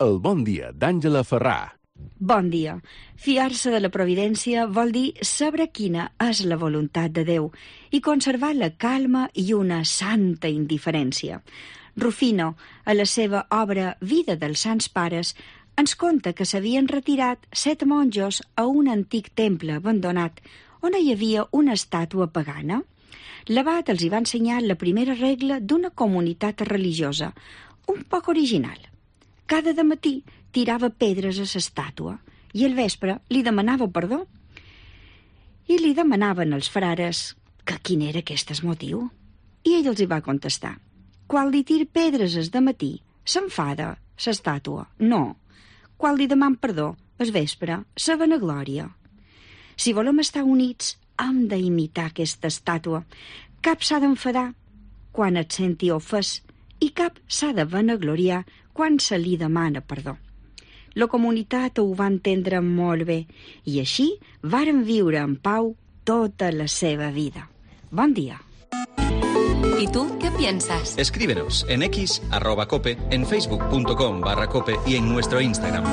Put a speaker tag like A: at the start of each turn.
A: El bon dia d'Àngela Ferrà.
B: Bon dia. Fiar-se de la providència vol dir saber quina és la voluntat de Déu i conservar la calma i una santa indiferència. Rufino, a la seva obra Vida dels Sants Pares, ens conta que s'havien retirat 7 monjos a un antic temple abandonat on hi havia una estàtua pagana. L'abat els hi va ensenyar la primera regla d'una comunitat religiosa, un poc original. Cada dematí tirava pedres a l'estàtua i al vespre li demanava perdó. I li demanaven als frares que quin era aquest motiu. I ell els hi va contestar: quan li tir pedres al dematí, s'enfada l'estàtua. No. Quan li deman perdó, al vespre, la vanaglòria. Si volem estar units, hem d'imitar aquesta estàtua. Cap s'ha d'enfadar quan et senti ofès i cap s'ha de vanagloriar quan se li demana perdó. La comunitat ho va entendre molt bé i així varen viure en pau tota la seva vida. Bon dia.
C: ¿Y tú qué piensas?
D: Escríbenos en x@cope, en facebook.com/cope y en nuestro Instagram.